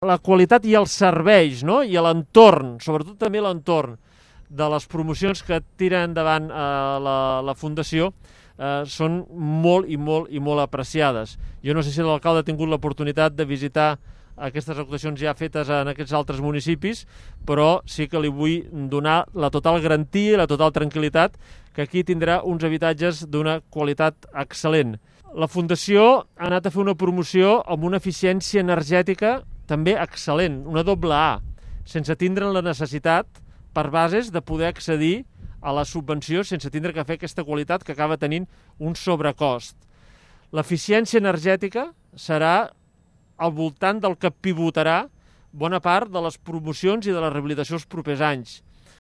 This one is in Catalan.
La qualitat i els serveis, no? I l'entorn, sobretot també l'entorn de les promocions que tira endavant la Fundació són molt i molt apreciades. Jo no sé si l'alcalde ha tingut l'oportunitat de visitar aquestes actuacions ja fetes en aquests altres municipis, però sí que li vull donar la total garantia i la total tranquil·litat que aquí tindrà uns habitatges d'una qualitat excel·lent. La Fundació ha anat a fer una promoció amb una eficiència energètica també excel·lent, una doble A, sense tindre la necessitat per bases de poder accedir a la subvenció sense tindre que fer aquesta qualitat que acaba tenint un sobrecost. L'eficiència energètica serà al voltant del que pivotarà bona part de les promocions i de la rehabilitació els propers anys.